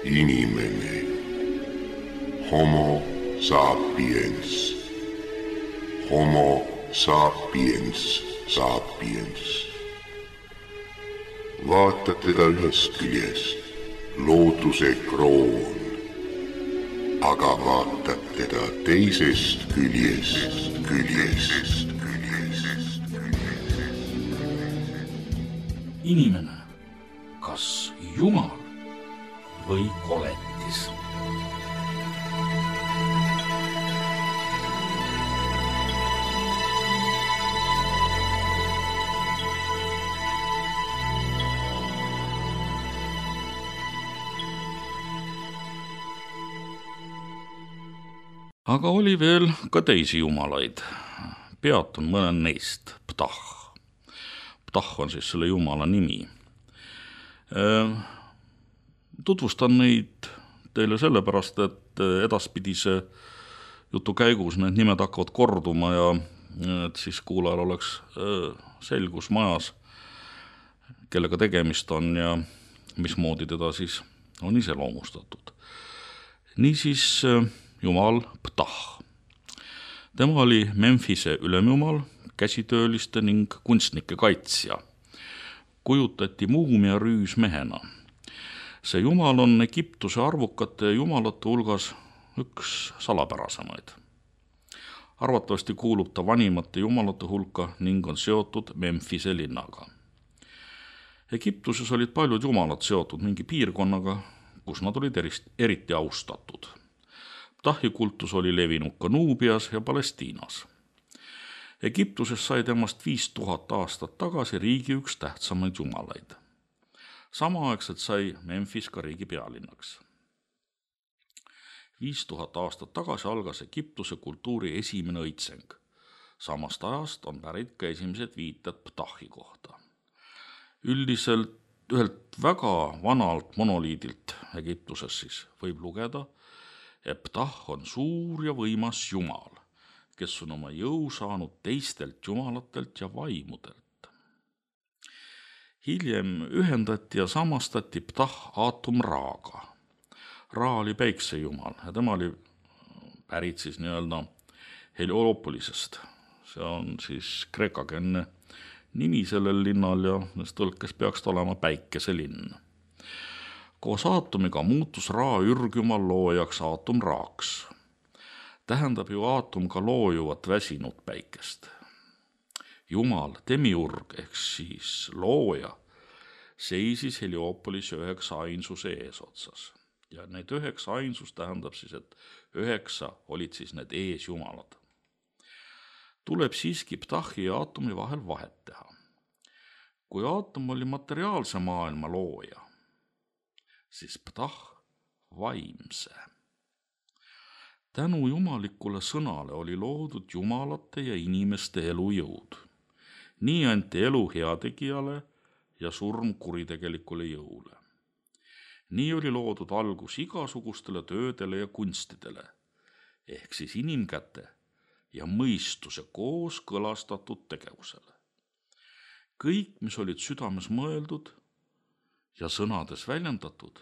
Inimene. Homo sapiens. Homo sapiens sapiens. Vaata teda ühest küljest, looduse kroon, aga vaatad teda teisest küljest. Inimene, kas Jumal või koletis? Aga oli veel ka teisi jumalaid. Peatun mõnel neist. Ptah. Ptah on siis selle jumala nimi. Tutvustan neid teile sellepärast, et edaspidise jutu käigus need nimed hakkavad korduma ja et siis kuulajal oleks selgus majas, kellega tegemist on ja mismoodi teda siis on iseloomustatud. Niisiis jumal Ptah. Tema oli Memphise ülemjumal, käsitööliste ning kunstnike kaitsja. Kujutati muumia rüüsmehena. See jumal on Egiptuse arvukate jumalate hulgas üks salapärasemaid. Arvatavasti kuulub ta vanimate jumalate hulka ning on seotud Memphise linnaga. Egiptuses olid paljud jumalad seotud mingi piirkonnaga, kus nad olid eriti austatud. Ptahi kultus oli levinud ka Nuubias ja Palestiinas. Egiptuses sai temast 5000 aastat tagasi riigi üks tähtsamaid jumalaid. Samaaegselt sai Memphis ka riigi pealinnaks. 5000 aastat tagasi algas Egiptuse kultuuri esimene õitseng. Samast ajast on pärit ka esimesed viited Ptahi kohta. Üldiselt ühelt väga vanalt monoliidilt Egiptuses siis võib lugeda, et Ptah on suur ja võimas jumal, kes on oma jõu saanud teistelt jumalatelt ja vaimudelt. Hiljem ühendati ja samastati Ptah Aatum Raaga. Ra oli päiksejumal ja tema oli pärit siis nii-öelda Heliopolisest. See on siis kreekakeelne nimi sellel linnal ja tõlkes peaks olema päikeselinn. Koos aatomiga muutus Ra ürgjumal loojaks Aatum Raaks. Tähendab ju aatum ka loojuvat väsinud päikest. Jumal, demiurg ehk siis looja, seisis Heliopolis 9 ainsuse eesotsas. Ja need 9 ainsus tähendab siis, et 9 olid siis need eesjumalad. Tuleb siiski Ptahi ja aatomi vahel vahet teha. Kui aatom oli materiaalse maailma looja, siis Ptah vaimse. Tänu jumalikule sõnale oli loodud jumalate ja inimeste elujõud. Nii anti elu heategijale ja surm kuritegelikule jõule. Nii oli loodud algus igasugustele töödele ja kunstidele, ehk siis inimkäte ja mõistuse koos kõlastatud tegevusele. Kõik, mis olid südames mõeldud ja sõnades väljendatud,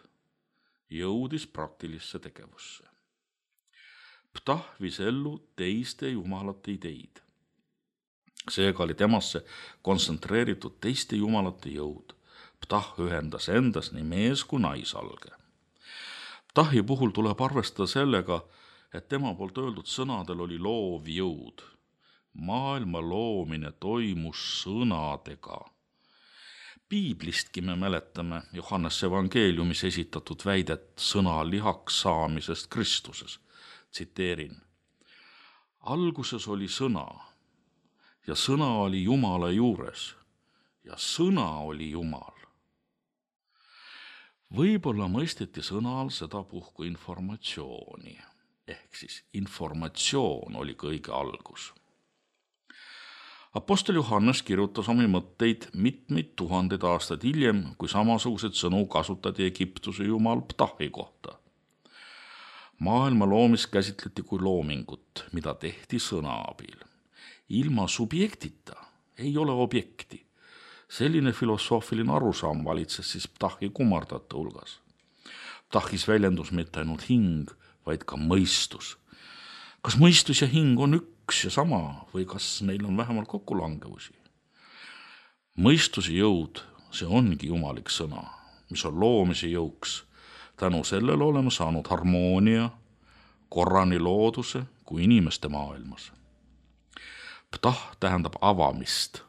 jõudis praktilisse tegevusse. Ptah viis ellu teiste jumalate ideid. Seega oli temasse kontsentreeritud teiste jumalate jõud. Ptah ühendas endas nii mees kui naisalge. Ptahi puhul tuleb arvestada sellega, et tema poolt öeldud sõnadel oli loov jõud. Maailma loomine toimus sõnadega. Piiblistki me mäletame Johannes evangeeliumis esitatud väidet sõna lihaks saamisest Kristuses. Tsiteerin. Alguses oli sõna ja sõna oli Jumala juures ja sõna oli Jumal. Võib-olla mõisteti sõna all sedapuhku informatsiooni, ehk siis informatsioon oli kõige algus. Apostel Johannes kirjutas omi mõtteid mitmeid tuhandeid aastaid hiljem, kui samasugused sõnu kasutati Egiptuse jumal Ptahi kohta. Maailma loomist käsitleti kui loomingut, mida tehti sõna abil. Ilma subjektita ei ole objekti. Selline filosoofiline arusaam valitses siis Ptahi kummardajate hulgas. Ptahhis väljendus mitte ainult hing, vaid ka mõistus. Kas mõistus ja hing on üks ja sama või kas neil on vähemalt kokkulangevusi? Mõistuse jõud, see ongi jumalik sõna, mis on loomise jõuks. Tänu sellele oleme saanud harmoonia, korra nii looduse kui inimeste maailmas. Ptah tähendab avamist.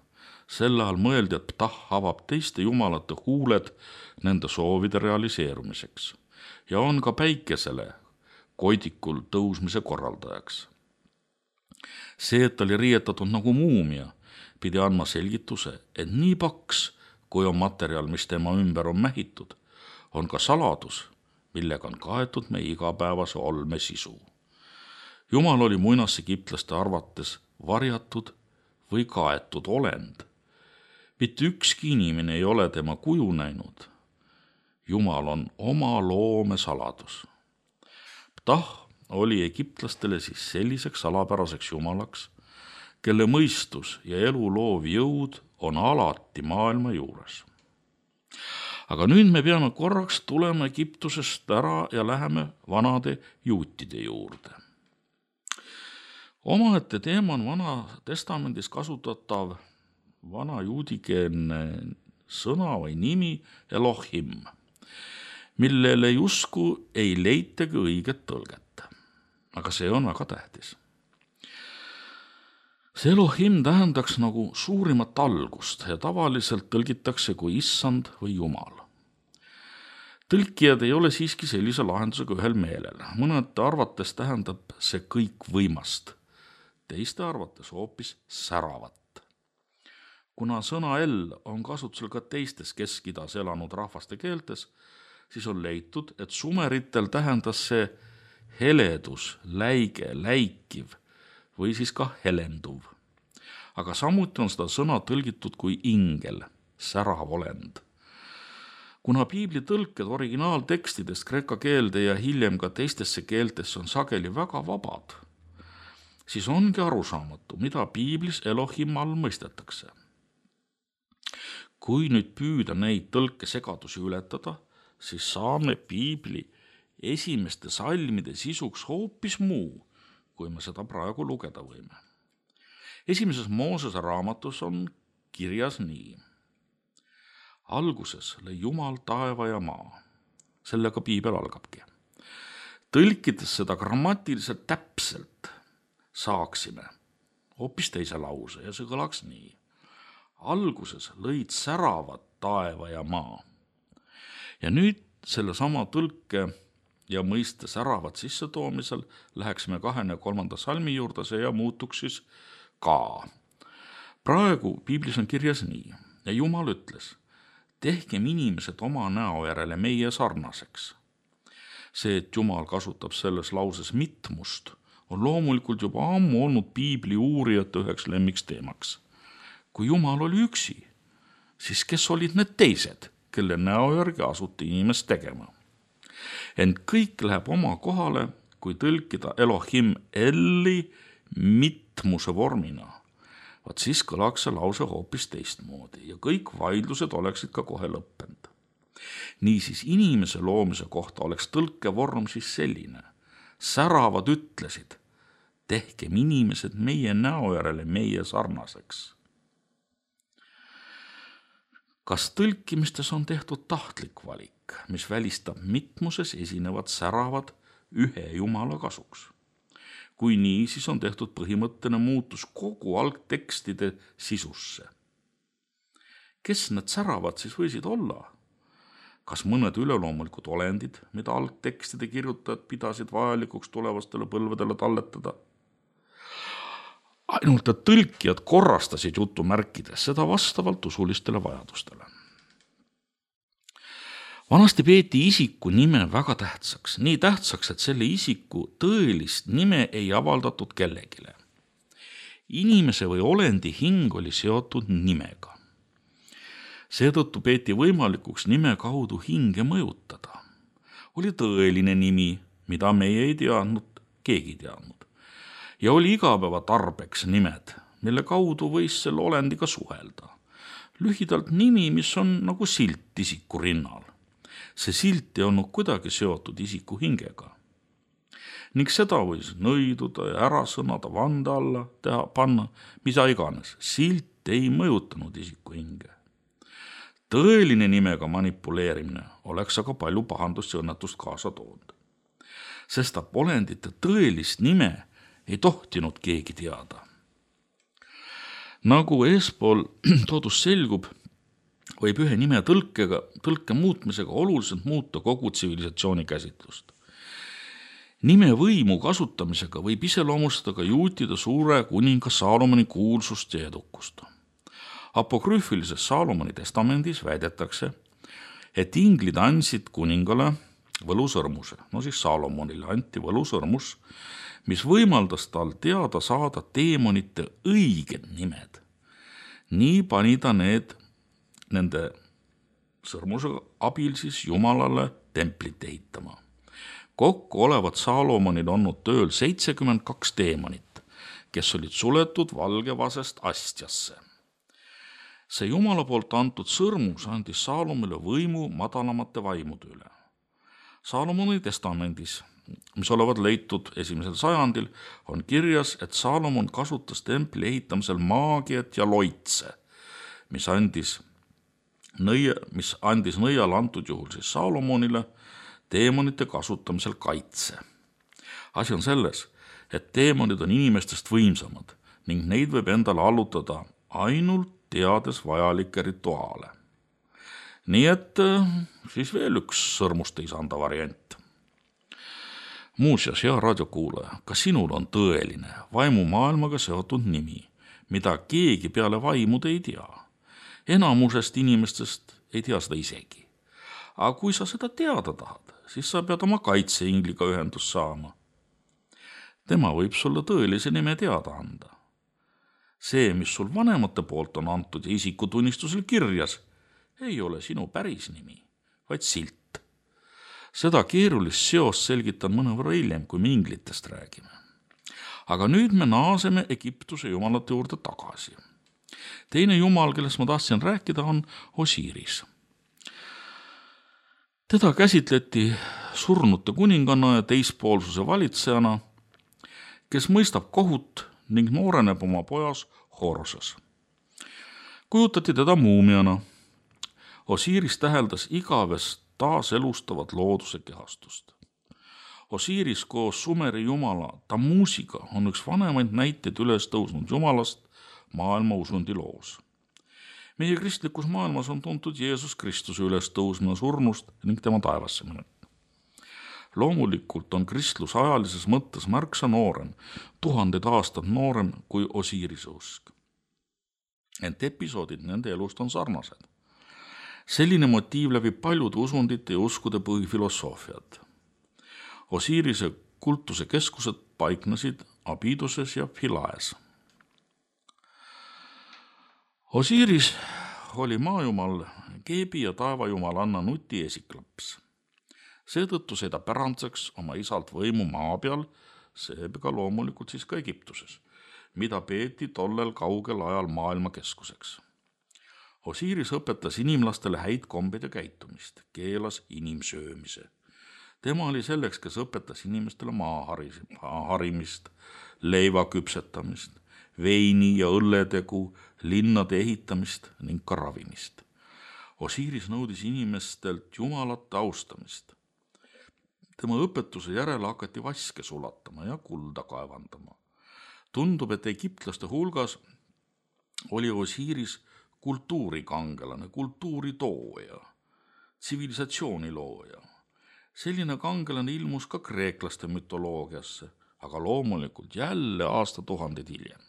Selle all mõeldi, et Ptah avab teiste jumalate huuled nende soovide realiseerumiseks ja on ka päikesele koidikul tõusmise korraldajaks. See, et ta oli riietatud nagu muumia, pidi andma selgituse, et nii paks, kui on materjal, mis tema ümber on mähitud, on ka saladus, millega on kaetud meie igapäevase olme sisu. Jumal oli muinasegiptlaste arvates varjatud või kaetud olend. Mitte ükski inimene ei ole tema kuju näinud. Jumal on oma loome saladus. Ptah oli egiptlastele siis selliseks salapäraseks jumalaks, kelle mõistus ja elu loov jõud on alati maailma juures. Aga nüüd me peame korraks tulema Egiptusest ära ja läheme vanade juutide juurde. Omaette teema on Vana Testamendis kasutatav vana juudikeelne sõna või nimi Elohim, millele justkui ei leitagi õiget tõlget. Aga see on väga tähtis. See Elohim tähendaks nagu suurimat algust ja tavaliselt tõlgitakse kui issand või jumal. Tõlkijad ei ole siiski sellise lahendusega ühel meelel. Mõnede arvates tähendab see kõik võimast, teiste arvates hoopis säravat. Kuna sõna El on kasutusel ka teistes Kesk-Idas elanud rahvaste keeltes, siis on leitud, et sumeritel tähendas see heledus, läige, läikiv või siis ka helenduv. Aga samuti on seda sõna tõlgitud kui ingel, särav olend. Kuna piibli tõlked originaaltekstidest kreeka keelde ja hiljem ka teistesse keeltesse on sageli väga vabad, siis ongi arusaamatu, mida piiblis Elohim all mõistetakse. Kui nüüd püüda neid tõlkesegadusi ületada, siis saame piibli esimeste salmide sisuks hoopis muu, kui me seda praegu lugeda võime. Esimeses Moosese raamatus on kirjas nii. Alguses lõi Jumal taeva ja maa. Sellega piibel algabki. Tõlkides seda grammatiliselt täpselt saaksime hoopis teise lause ja see kõlaks nii. Alguses lõid säravad taeva ja maa. Ja nüüd selle sama tõlke ja mõiste säravat sissetoomisel läheksime 23. salmi juurde, see ja muutuks siis ka. Praegu piiblis on kirjas nii ja Jumal ütles, tehkem inimesed oma näo järele meie sarnaseks. See, et Jumal kasutab selles lauses mitmust, on loomulikult juba ammu olnud piibli uurijate üheks lemmiksteemaks. Kui Jumal oli üksi, siis kes olid need teised, kelle näo järgi asuti inimest tegema? Ent kõik läheb oma kohale, kui tõlkida Elohim Elli mitmuse vormina. Vaat siis kõlaks see lause hoopis teistmoodi ja kõik vaidlused oleksid ka kohe lõppenud. Niisiis inimese loomise kohta oleks tõlkevorm siis selline. Säravad ütlesid, tehkem inimesed meie näo järele meie sarnaseks. Kas tõlkimistes on tehtud tahtlik valik, mis välistab mitmuses esinevad säravad ühe jumala kasuks? Kui nii, siis on tehtud põhimõttene muutus kogu algtekstide sisusse. Kes need säravad siis võisid olla? Kas mõned üleloomulikud olendid, mida algtekstide kirjutajad pidasid vajalikuks tulevastele põlvedele talletada? Ainult, et tõlkijad korrastasid jutumärkides seda vastavalt usulistele vajadustele. Vanasti peeti isiku nime väga tähtsaks, nii tähtsaks, et selle isiku tõelist nime ei avaldatud kellegile. Inimese või olendi hing oli seotud nimega. Seetõttu peeti võimalikuks nime kaudu hinge mõjutada. Oli tõeline nimi, mida meie ei teadnud, keegi teadnud. Ja oli igapäeva tarbeks nimed, mille kaudu võis selle olendiga suhelda. Lühidalt nimi, mis on nagu silt isiku rinnal. See silt ei olnud kuidagi seotud isiku hingega. Ning seda võis nõiduda ja ära sõnada vande alla panna, mida iganes. Silt ei mõjutanud isiku hinge. Tõeline nimega manipuleerimine oleks aga palju pahandust ja õnnetust kaasa toonud. Sest olendite tõelist nime ei tohtinud keegi teada. Nagu eespool toodus selgub, võib ühe nime tõlke muutmisega oluliselt muuta kogu tsivilisatsiooni käsitlust. Nime võimu kasutamisega võib iseloomustada ka juutide suure kuninga Saalomoni kuulsust ja edukust. Apokrüüfilises Saalomoni testamendis väidetakse, et inglid andsid kuningale võlusõrmuse. Saalomonile anti võlusõrmus, mis võimaldas tal teada saada teemonite õiged nimed. Nii pani ta nende sõrmuse abil Jumalale templit ehitama. Kokku olevat Saalomonil olnud tööl 72 teemonit, kes olid suletud valgevasest astjasse. See Jumala poolt antud sõrmus andis Saalomile võimu madalamate vaimude üle. Saalomoni testamendis, mis olevat leitud 1. sajandil, on kirjas, et Saalomon kasutas templi ehitamisel maagiat ja loitse, mis andis nõial antud juhul Saalomonile teemonite kasutamisel kaitse. Asi on selles, et teemonid on inimestest võimsamad ning neid võib endale allutada ainult teades vajalikke rituaale. Nii et siis veel üks sõrmuste isanda variant. Muuseas, hea raadiokuulaja, ka sinul on tõeline vaimumaailmaga seotud nimi, mida keegi peale vaimude ei tea. Enamusest inimestest ei tea seda isegi. Aga kui sa seda teada tahad, siis sa pead oma kaitseingliga ühendust saama. Tema võib sulle tõelise nime teada anda. See, mis sul vanemate poolt on antud ja isikutunnistusel kirjas, ei ole sinu päris nimi, vaid silt. Seda keerulist seost selgitan mõnevõrra hiljem, kui me inglitest räägime. Aga nüüd me naaseme Egiptuse jumalate juurde tagasi. Teine jumal, kellest ma tahtsin rääkida, on Osiris. Teda käsitleti surnute kuninganna ja teispoolsuse valitsejana, kes mõistab kohut ning nooreneb oma pojas Horoses. Kujutati teda muumiana. Osiris täheldas igavest taaselustavat looduse kehastust. Osiris koos Sumeri jumala Tamusiga on üks vanemaid näiteid üles tõusnud jumalast maailma usundi loos. Meie kristlikus maailmas on tuntud Jeesus Kristuse üles tõusmine surnust ning tema taevasse minek. Loomulikult on kristlus ajalises mõttes märksa noorem, 1000 aastat noorem kui Osirise usk. Ent episoodid nende elust on sarnased. Selline motiiv läbib paljude usundite ja uskude põhifilosoofiad. Osirise kultuse keskused paiknesid Abidoses ja Philaes. Osiris oli maajumal Gebi ja taevajumalanna Nuti esiklaps. Seetõttu sai ta pärandseks oma isalt võimu maa peal, seega loomulikult siis ka Egiptuses, mida peeti tollel kaugel ajal maailma keskuseks. Osiris õpetas inimlastele häid kombeid ja käitumist, keelas inimsöömise. Tema oli selleks, kes õpetas inimestele maaharimist, leiva küpsetamist, veini ja õlletegu, linnade ehitamist ning ka ravimist. Osiris nõudis inimestelt jumalate austamist. Tema õpetuse järele hakati vaske sulatama ja kulda kaevandama. Tundub, et egiptlaste hulgas oli Osiris kultuurikangelane, kultuuritooja, tsivilisatsiooni looja. Selline kangelane ilmus ka kreeklaste mütoloogiasse, aga loomulikult jälle aastatuhanded hiljem.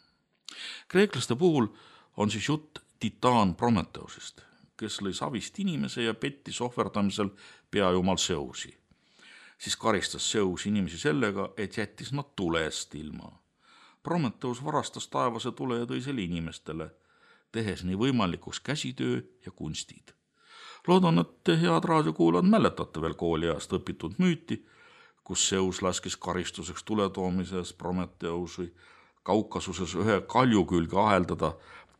Kreeklaste puhul on siis jutt titaan Prometheusest, kes lõi savist inimese ja pettis ohverdamisel peajumal Zeusi. Siis karistas Zeus inimesi sellega, et jättis nad tulest ilma. Prometheus varastas taevase tule ja tõi selle inimestele, tehes nii võimalikuks käsitöö ja kunstid. Loodan, et head raadiokuulajad mäletate veel kooliajast õpitud müüti, kus Zeus laskis karistuseks tuletoomises Prometheusi Kaukasuses ühe kalju külge aheldada,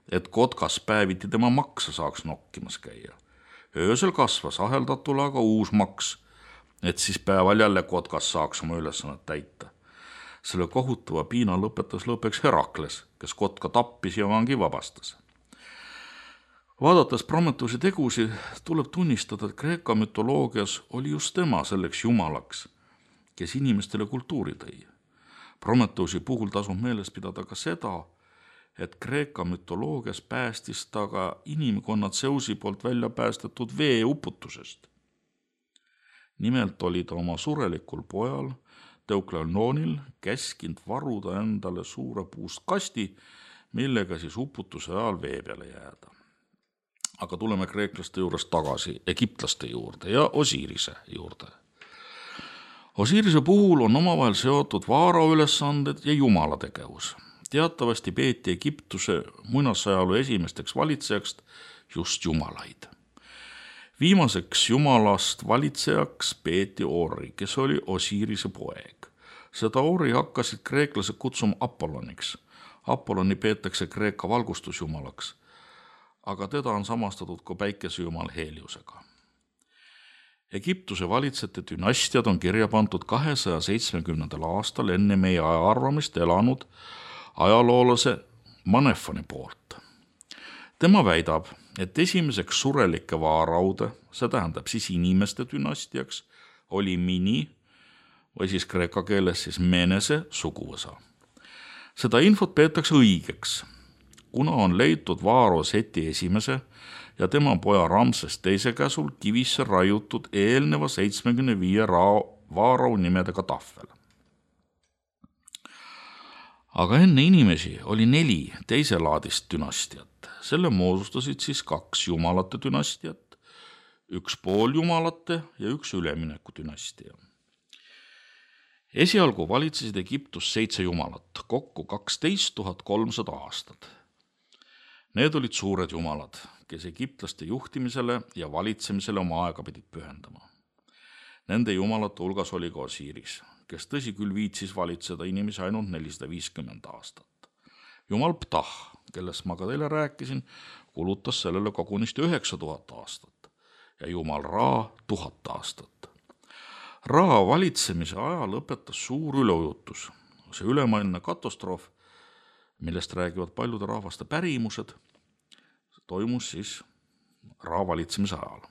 et kotkas päeviti tema maksa saaks nokkimas käia. Öösel kasvas aheldatule aga uus maks, et siis päeval jälle kotkas saaks oma ülesannet täita. Selle kohutava piina lõpetas lõpuks Herakles, kes kotka tappis ja vangi vabastas. Vaadates Prometuse tegusi, tuleb tunnistada, et Kreeka mütoloogias oli just tema selleks jumalaks, kes inimestele kultuuri tõi. Prometusi puhul tasub meeles pidada ka seda, et Kreeka mütoloogias päästis ta ka inimkonnad Zeusi poolt välja päästetud veeuputusest. Nimelt oli ta oma surelikul pojal Teukleonil käskinud varuda endale suure puust kasti, millega siis uputuse ajal vee peale jääda. Aga tuleme kreeklaste juurest tagasi egiptlaste juurde ja Osirise juurde. Osirise puhul on omavahel seotud vaara ülesanded ja jumala tegevus. Teatavasti peeti Egiptuse muinasajalu esimesteks valitsejaks just jumalaid. Viimaseks jumalast valitsejaks peeti Ori, kes oli Osirise poeg. Seda Ori hakkasid kreeklased kutsuma Apolloniks. Apolloni peetakse Kreeka valgustusjumalaks, aga teda on samastatud ka päikesejumal Heliosega. Egiptuse valitsejate dünastiad on kirja pandud 270. aastal enne meie ajaarvamist elanud ajaloolase Manefoni poolt. Tema väidab, et esimeseks surelike vaaraude, see tähendab siis inimeste dünastiaks, oli Mini või siis kreeka keeles siis Menese suguvõsa. Seda infot peetakse õigeks, kuna on leitud Vaaro Seti esimese ja tema poja Ramses teise käsul kivisse raiutud eelneva 75 vaarau nimedega tahvel. Aga enne inimesi oli 4 teiselaadist dünastiat. Selle moodustasid siis 2 jumalate dünastiat, 1 pooljumalate ja 1 ülemineku dünastia. Esialgu valitsesid Egiptus 7 jumalat, kokku 12 300 aastat. Need olid suured jumalad, kes egiptlaste juhtimisele ja valitsemisele oma aega pidid pühendama. Nende jumalate hulgas oli ka Osiris, kes tõsi küll viitsis valitseda inimesi ainult 450 aastat. Jumal Ptah, kellest ma ka teile rääkisin, kulutas sellele kogunisti 9000 aastat ja jumal Ra 1000 aastat. Ra valitsemise aja lõpetas suur üleujutus. See ülemaailmne katastroof, millest räägivad paljude rahvaste pärimused, toimus siis Ra valitsemise ajal.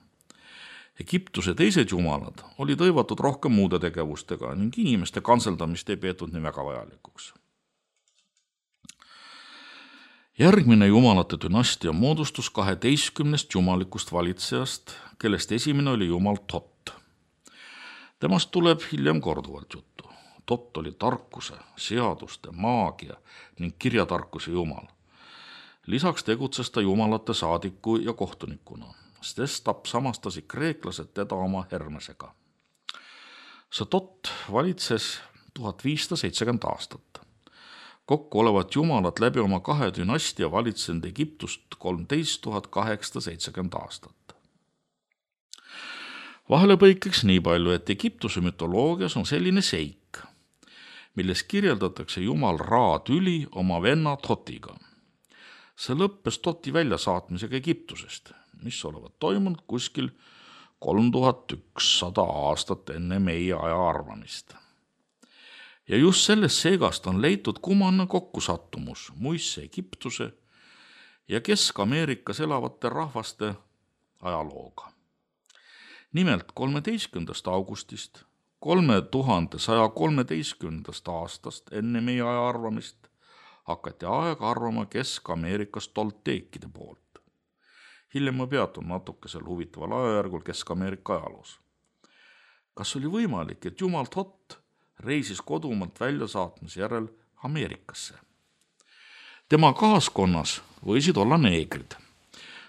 Egiptuse teised jumalad olid hõivatud rohkem muude tegevustega ning inimeste kantseldamist ei peetud nii väga vajalikuks. Järgmine jumalate dünastia moodustus 12 jumalikust valitsejast, kellest esimene oli jumal Tot. Temast tuleb hiljem korduvalt juttu. Tot oli tarkuse, seaduste, maagia ning kirjatarkuse jumal. Lisaks tegutses ta jumalate saadiku ja kohtunikuna, sest ta samastasid kreeklased teda oma Hermesega. See Tot valitses 1570 aastat. Kokku olevat jumalad läbi oma 2 dünastia valitsenud Egiptust 13 870 aastat. Vahelepõikeks nii palju, et Egiptuse mütoloogias on selline seik, milles kirjeldatakse jumal Ra tüli oma venna Totiga. See lõppes Toti väljasaatmisega Egiptusest, mis olevat toimunud kuskil 3100 aastat enne meie aja arvamist. Ja just sellest seegast on leitud kummaline kokkusattumus muistse Egiptuse ja Kesk-Ameerikas elavate rahvaste ajalooga. Nimelt 13. augustist 3113. aastast enne meie aja arvamist hakati aega arvama Kesk-Ameerikas tolteekide poolt. Hiljem ma peatun natukesel huvitaval ajajärgul Kesk-Ameerika ajaloos. Kas oli võimalik, et jumal Tot reisis kodumaalt väljasaatmise järel Ameerikasse? Tema kaaskonnas võisid olla neegrid.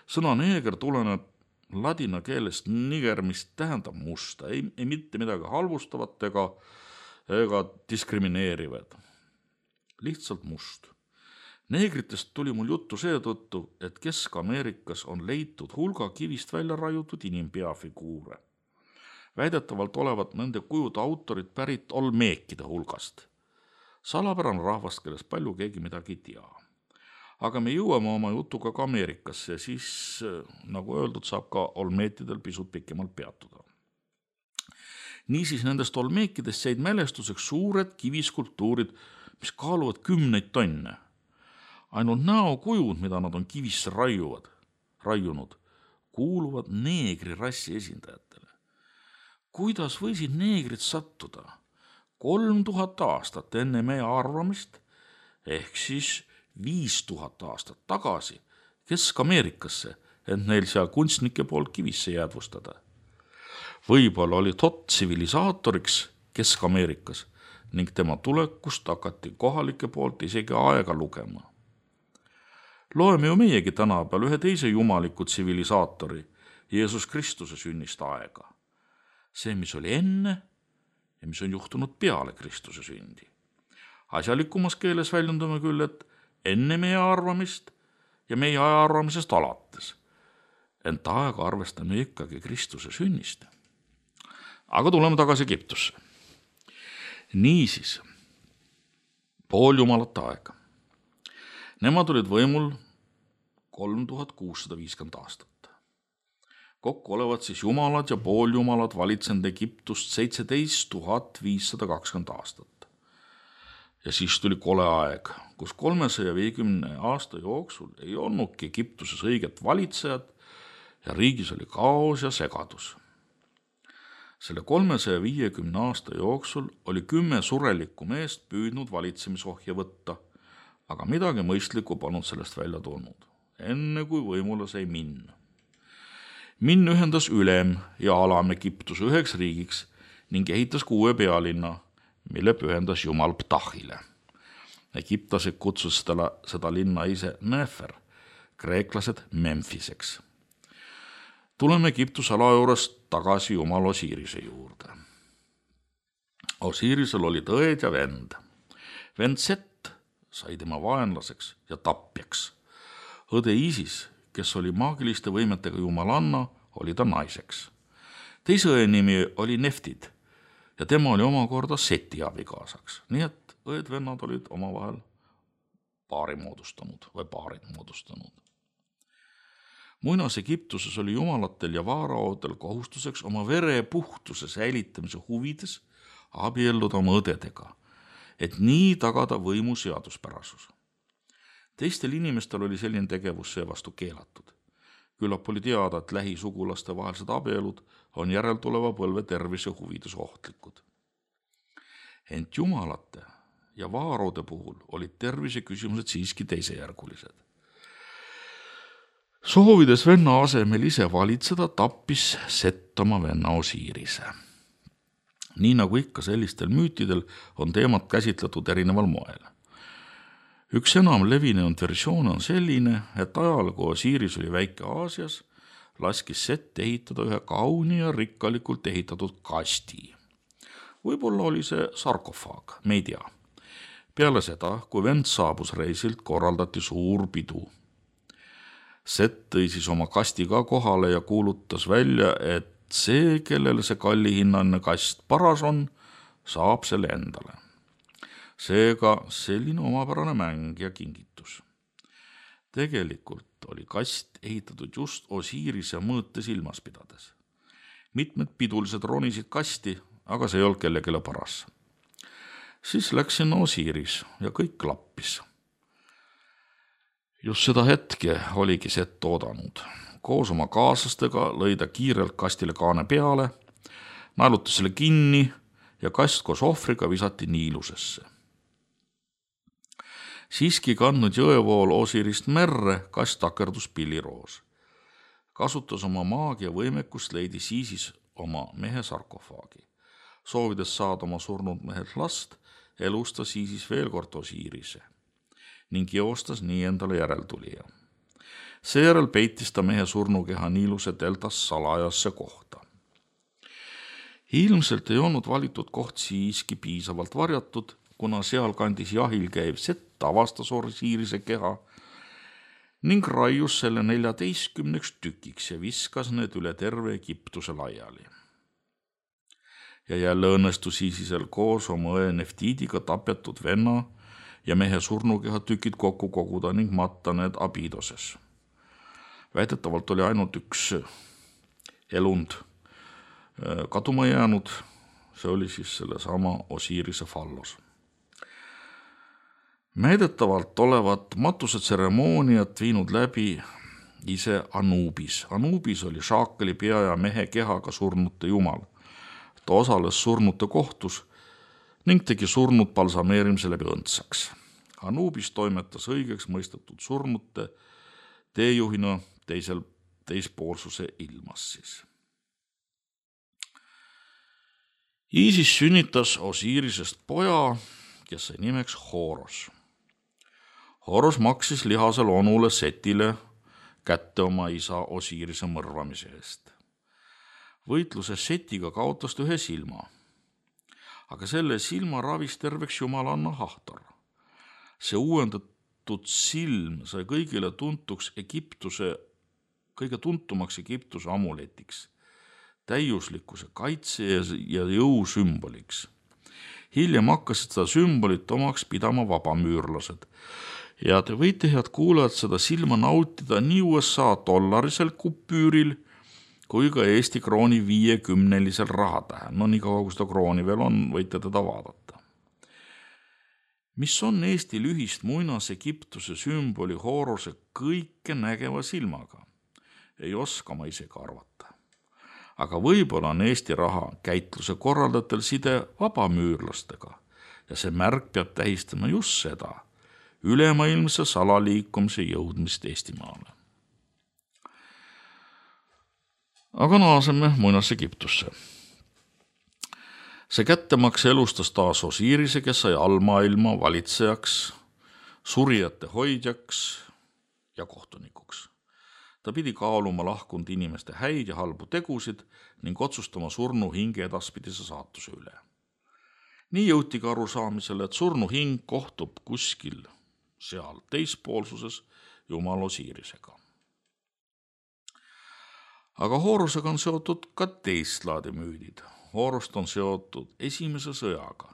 Sõna neeger tuleneb ladina keelest niger, mis tähendab musta, ei mitte midagi halvustavat ega diskrimineerivad. Lihtsalt must. Neegritest tuli mul juttu seetõttu, et Kesk-Ameerikas on leitud hulga kivist välja raiutud inimpeafiguure. Väidetavalt olevat nende kujude autorid pärit olmeekide hulgast. Salapärane rahvast, kellest palju keegi midagi ei tea. Aga me jõuame oma jutuga ka Ameerikasse ja siis, nagu öeldud, saab ka olmeetidel pisut pikemalt peatuda. Niisiis nendest olmeekidest jäid mälestuseks suured kiviskulptuurid, mis kaaluvad 10 tonne. Ainult näokujud, mida nad on kivisse raiunud, kuuluvad neegri rassi esindajatele. Kuidas võisid neegrid sattuda 3000 aastat enne meie arvamist, ehk siis 5000 aastat tagasi Kesk-Ameerikasse, et neil seal kunstnike poolt kivisse jäädvustada? Võib-olla oli Todd tsivilisaatoriks Kesk-Ameerikas ning tema tulekust hakati kohalike poolt isegi aega lugema. Loeme ju meiegi tänapäeval ühe teise jumaliku tsivilisaatori, Jeesus Kristuse sünnist aega. See, mis oli enne ja mis on juhtunud peale Kristuse sündi. Asjalikumas keeles väljendame küll, et enne meie arvamist ja meie aja arvamisest alates. Ent aega arvestame ikkagi Kristuse sünnist. Aga tuleme tagasi Egiptusse. Niisiis, pooljumalate aega. Nemad olid võimul 3650 aastat. Kokku olevat siis jumalad ja pooljumalad valitsenud Egiptust 17 520 aastat. Ja siis tuli kole aeg, kus 350 aasta jooksul ei olnudki Egiptuses õiget valitsejat ja riigis oli kaos ja segadus. Selle 350 aasta jooksul oli 10 surelikku meest püüdnud valitsemisohja võtta, aga midagi mõistlikku polnud sellest välja tulnud, enne kui võimule sai Min. Min ühendas ülem ja alam Egiptuse 9 riigiks ning ehitas 6 pealinna, mille pühendas jumal Ptahile. Egiptased kutsus seda linna ise Nefer, kreeklased Memphiseks. Tuleme Egiptuse ala juurest tagasi jumal Osirise juurde. Osirisel oli õed ja vend. Vend Set sai tema vaenlaseks ja tapjaks. Õde Isis, kes oli maagiliste võimetega jumalanna, oli ta naiseks. Teise õe nimi oli Neftid ja tema oli omakorda Seti abikaasaks. Nii et õed-vennad olid omavahel paarid moodustanud. Muinas Egiptuses oli jumalatel ja vaaraotel kohustuseks oma vere puhtuse säilitamise huvides abielluda oma õdedega, et nii tagada võimu seaduspärasus. Teistel inimestel oli selline tegevus seevastu keelatud. Küllap oli teada, et lähisugulaste vahelised abielud on järeltuleva põlve tervise huvides ohtlikud. Ent jumalate ja vaarode puhul olid tervise küsimused siiski teisejärgulised. Soovides venna asemel ise valitseda, tappis Set oma venna Osirise. Nii nagu ikka sellistel müütidel on teemat käsitletud erineval moel. Üks enam levinenud versioon on selline, et ajal, kui Osiris oli väike Aasias, laskis Set ehitada ühe kauni ja rikkalikult ehitatud kasti. Võib-olla oli see sarkofaag, me ei tea. Peale seda, kui vend saabus reisilt, korraldati suur pidu. Set tõi siis oma kasti ka kohale ja kuulutas välja, et see, kellele see kallihinnaline kast paras on, saab selle endale. Seega selline omapärane mäng ja kingitus. Tegelikult oli kast ehitatud just Osirise mõõte silmas pidades. Mitmed pidulised ronisid kasti, aga see ei olnud kellegile paras. Siis läks sinna Osiris ja kõik klappis. Just seda hetke oligi Set oodanud. Koos oma kaaslastega lõi ta kiirelt kastile kaane peale, naelutas selle kinni ja kast koos ohvriga visati Niilusesse. Siiski kandnud jõevool Osirist merre, kast takerdus pilliroos. Kasutas oma maagia võimekust, leidis Isis oma mehe sarkofaagi. Soovides saada oma surnud mehelt last, elustas Isis veel kord Osirise ning joostas nii endale järeltulija. Seejärel peitis ta mehe surnukeha Niiluse deltas salajasse kohta. Ilmselt ei olnud valitud koht siiski piisavalt varjatud, kuna seal kandis jahil käiv Set avastas Osirise keha ning raius selle 14 tükiks ja viskas need üle terve Egiptuse laiali. Ja jälle õnnestus Isisel koos oma õe Neftidiga tapetud venna ja mehe surnukeha tükid kokku koguda ning matta need Abidoses. Väidetavalt oli ainult üks elund kaduma jäänud, see oli siis sellesama Osirise fallos. Väidetavalt olevat matusetseremooniat viinud läbi ise Anubis. Anubis oli Šaakali pea ja mehe kehaga surnute jumal. Ta osales surnute kohtus ning tegi surnud balsameerimise läbi õndsaks. Anubis toimetas õigeks mõistetud surnute teejuhina teispoolsuse ilmas siis. Iisis sünnitas Osirisest poja, kes sai nimeks Horos. Horos maksis lihasel onule Setile kätte oma isa Osirise mõrvamise eest. Võitluses Setiga kaotas ta ühe silma, aga selle silma ravis terveks jumalanna Hahtor. See uuendatud silm sai kõigile kõige tuntumaks Egiptuse amuletiks, täiuslikkuse kaitse ja jõu sümboliks. Hiljem hakkasid seda sümbolit omaks pidama vabamüürlased. Ja te võite, head kuulajad, seda silma nautida nii USA dollarisel kupüüril kui ka Eesti krooni 50-lisel rahatähel. No nii kaua, kui seda krooni veel on, võite teda vaadata. Mis on Eestil ühist muinas Egiptuse sümboli Horose kõike nägeva silmaga? Ei oska ma isegi arvata. Aga võib-olla on Eesti raha käitluse korraldatel side vabamüürlastega ja see märk peab tähistama just seda, ülemaailmse salaliikumise jõudmist Eestimaale. Aga naaseme muinas Egiptusse. See kättemaks elustas taas Osirise, kes sai allmaailma valitsejaks, surijate hoidjaks ja kohtunikuks. Ta pidi kaaluma lahkunud inimeste häid ja halbu tegusid ning otsustama surnu hinge edaspidise saatuse üle. Nii jõutigi arusaamisele, et surnu hing kohtub kuskil seal teispoolsuses jumal Osirisega. Aga Horosega on seotud ka teist laadi müüdid. Horost on seotud esimese sõjaga,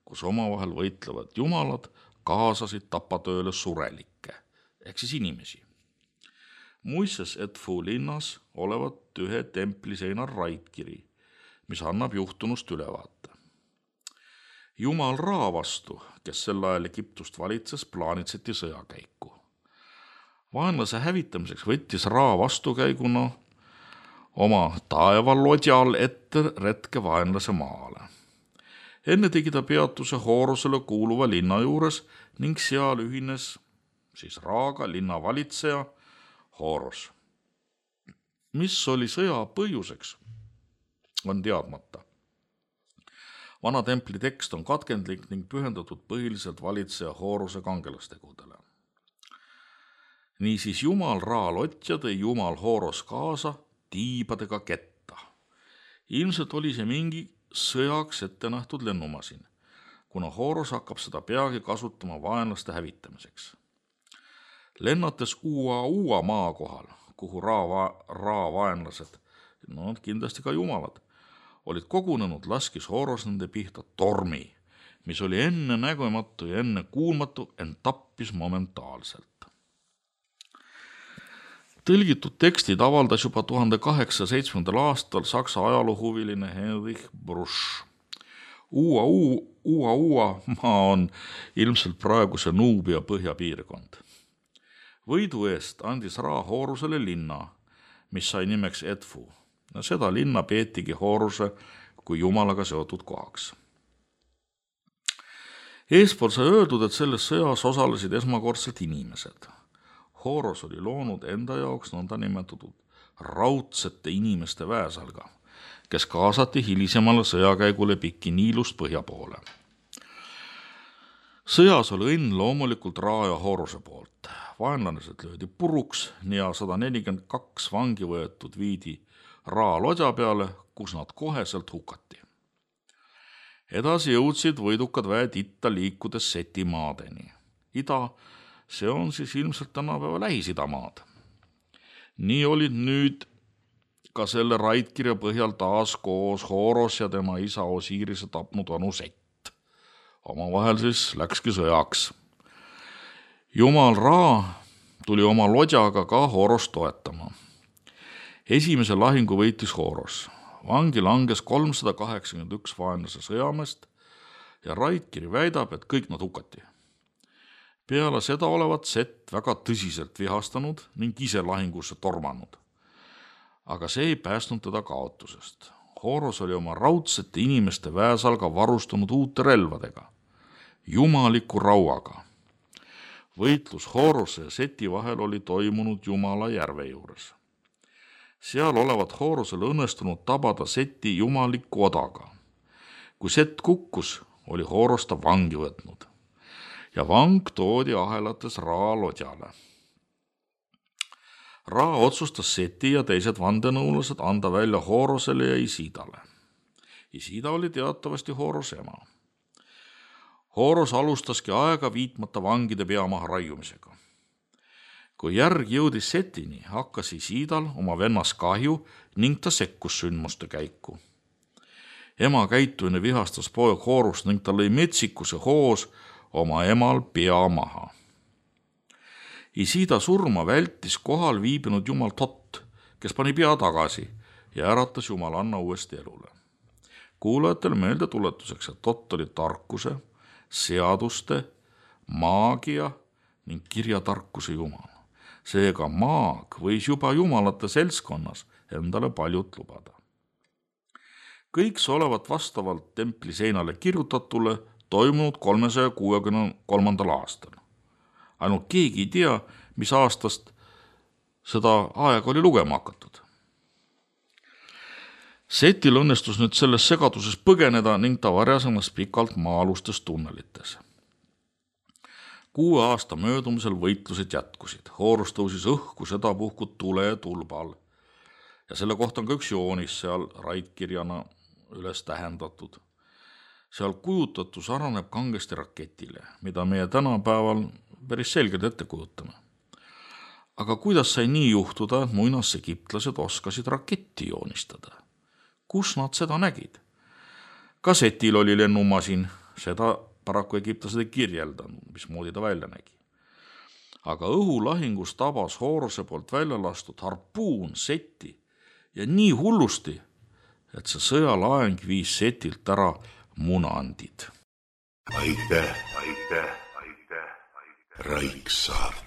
kus omavahel võitlevad jumalad kaasasid tapatööle surelikke, ehk siis inimesi. Muisses Edfu linnas olevat ühe templi seinal raidkiri, mis annab juhtunust ülevaate. Jumal Ra vastu, kes sel ajal Egiptust valitses, plaanitseti sõjakäiku. Vaenlase hävitamiseks võttis Ra vastukäiguna oma taevalodjal ette retke vaenlase maale. Enne tegi ta peatuse Horosele kuuluva linna juures ning seal ühines siis Raaga linna valitseja Horos. Mis oli sõja põhjuseks, on teadmata. Vana templi tekst on katkendlik ning pühendatud põhiliselt valitseja Horose kangelastegudele. Niisiis jumal Ra lotja tõi jumal Horos kaasa tiibadega ketta. Ilmselt oli see mingi sõjaks ette nähtud lennumasin, kuna Horos hakkab seda peagi kasutama vaenlaste hävitamiseks. Lennates Uua maa kohal, kuhu Ra vaenlased, kindlasti ka jumalad, olid kogunenud, laskis Horos nende pihta tormi, mis oli enne nägematu ja enne kuulmatu, ent tappis momentaalselt. Tõlgitud tekstid avaldas juba 1807. aastal saksa ajaloohuviline Heinrich Brusch. Uua maa on ilmselt praeguse Nuubia põhjapiirkond. Võidu eest andis Ra Horosele linna, mis sai nimeks Edfu. Seda linna peetigi Horose kui jumalaga seotud kohaks. Eespool sai öeldud, et selles sõjas osalesid esmakordselt inimesed. Horos oli loonud enda jaoks nõnda nimetatud raudsete inimeste väesalga, kes kaasati hilisemale sõjakäigule pikki Niilust põhja poole. Sõjas oli õnn loomulikult Ra ja Horose poolt. Vaenlanesed löödi puruks ja 142 vangi võetud viidi Ra lodja peale, kus nad koheselt hukati. Edasi jõudsid võidukad väed itta liikudes Seti maadeni. Ida, see on siis ilmselt tänapäeva Lähis-Ida maad. Nii olid nüüd ka selle raidkirja põhjal taas koos Horos ja tema isa Osirise tapnud onu Sett. Omavahel siis läkski sõjaks Jumal Ra tuli oma lodjaga ka Horost toetama. Esimese lahingu võitis Horos. Vangi langes 381 vaenlase sõjameest ja Raitkiri väidab, et kõik nad hukati. Peale seda olevat Sett väga tõsiselt vihastanud ning ise lahingusse tormanud. Aga see ei päästnud teda kaotusest. Horos oli oma raudsete inimeste väesalga varustanud uute relvadega, jumaliku rauaga. Võitlus Horose ja Seti vahel oli toimunud Jumala järve juures. Seal olevat Horosele õnnestunud tabada Seti jumaliku odaga. Kui Sett kukkus, oli Horos ta vangi võtnud ja vang toodi ahelates Ra lodjale. Ra otsustas Seti ja teised vandenõulased anda välja Horosele ja Isidale. Isida oli teatavasti Horose ema. Horos alustaski aega viitmata vangide peamaha raiumisega. Kui järg jõudis Setini, hakkas Isidal oma vennas kahju ning ta sekkus sündmuste käiku. Ema käitumine vihastas poeg Horost ning ta lõi metsikuse hoos oma emal pea maha. Isida surma vältis kohal viibinud jumal Tot, kes pani pea tagasi ja äratas jumalanna uuesti elule. Kuulajatele meelde tuletuseks, et Tot oli tarkuse, seaduste, maagia ning kirjatarkuse jumal. Seega maag võis juba jumalate seltskonnas endale paljut lubada. Kõik see olevat vastavalt templi seinale kirjutatule toimunud 363. aastal. Ainult keegi ei tea, mis aastast seda aega oli lugema hakatud. Setil õnnestus nüüd selles segaduses põgeneda ning ta varjas ennast pikalt maa-alustes tunnelites. 6 aasta möödumisel võitlused jätkusid. Horos tõusis õhku sedapuhku tule ja tulbal. Ja selle kohta on ka üks joonis seal raitkirjana üles tähendatud. Seal kujutatu saraneb kangesti raketile, mida meie tänapäeval päris selgelt ette kujutame. Aga kuidas sai nii juhtuda, et muinasegiptlased oskasid raketti joonistada? Kus nad seda nägid? Ka Setil oli lennumasin, seda paraku egiptlased ei kirjeldanud, mismoodi ta välja nägi. Aga õhulahingus tabas Horose poolt välja lastud harpuun Seti ja nii hullusti, et see sõjalaeng viis Setilt ära munandid. Aitäh, Raiksaart.